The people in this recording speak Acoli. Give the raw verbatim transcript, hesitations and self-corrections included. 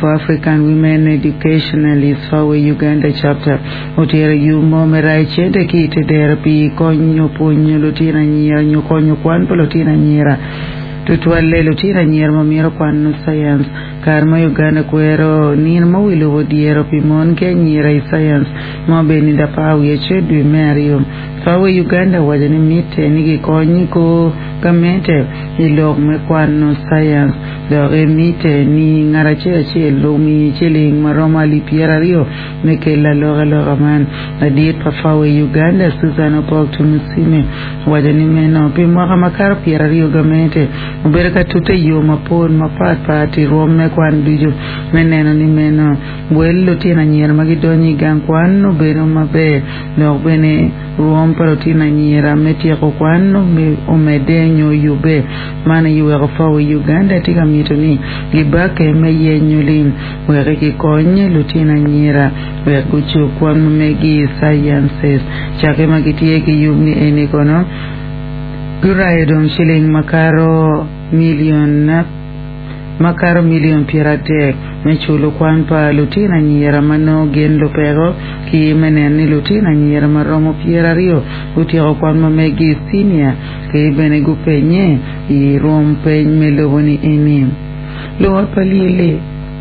for African Women Educationalists FAWE Uganda chapter otero yub mo me rayo cente ki ite dero pi konyo pwonyo lutino anyira nyo konyo kwan pa lutino anyira tutwalle lutino anyira ma myero kwano science kare ma Uganda kwero nino ma wi lobo dyero pi mon ki anyira i science ma obedo nino apar wiye acel dwe me aryo FAWE Uganda owaco ni mitte ni gikony ko gamente i lok me kwano science dok mitte ni ngat acel acel omi ciling maromo alip pyeraryo me kelo alokaloka man ladit pa FAWE Uganda Susan Opok Tumusime owaco ni meno pi mwaka makato pyeraryo gamente obedo ka tute yo mapol mapatpat i rwom me kwan ducu me neno ni meno wel lutino anyira ma gidonyo i gang kwan obedo maber dok bene rwom pa lutino anyira me tyeko kwan omedde nyo yubbe man aye weko FAWE Uganda tye ka mito ni gibake me yenyo lim wek gikony lutino anyira wek gucub kwan ma megi i sciences cake ma gitye ki yub ni eni kono gurayo dong ciling makato milion makato milion pyeradek me culo kwan pa lutino anyira ma nongo gin lupeko ki me neno ni lutino anyira maromo pyeraryo gutyeko kwan ma megi i senior ki bene gupenye i rwom peny me lobo ni eni luot pa lyelle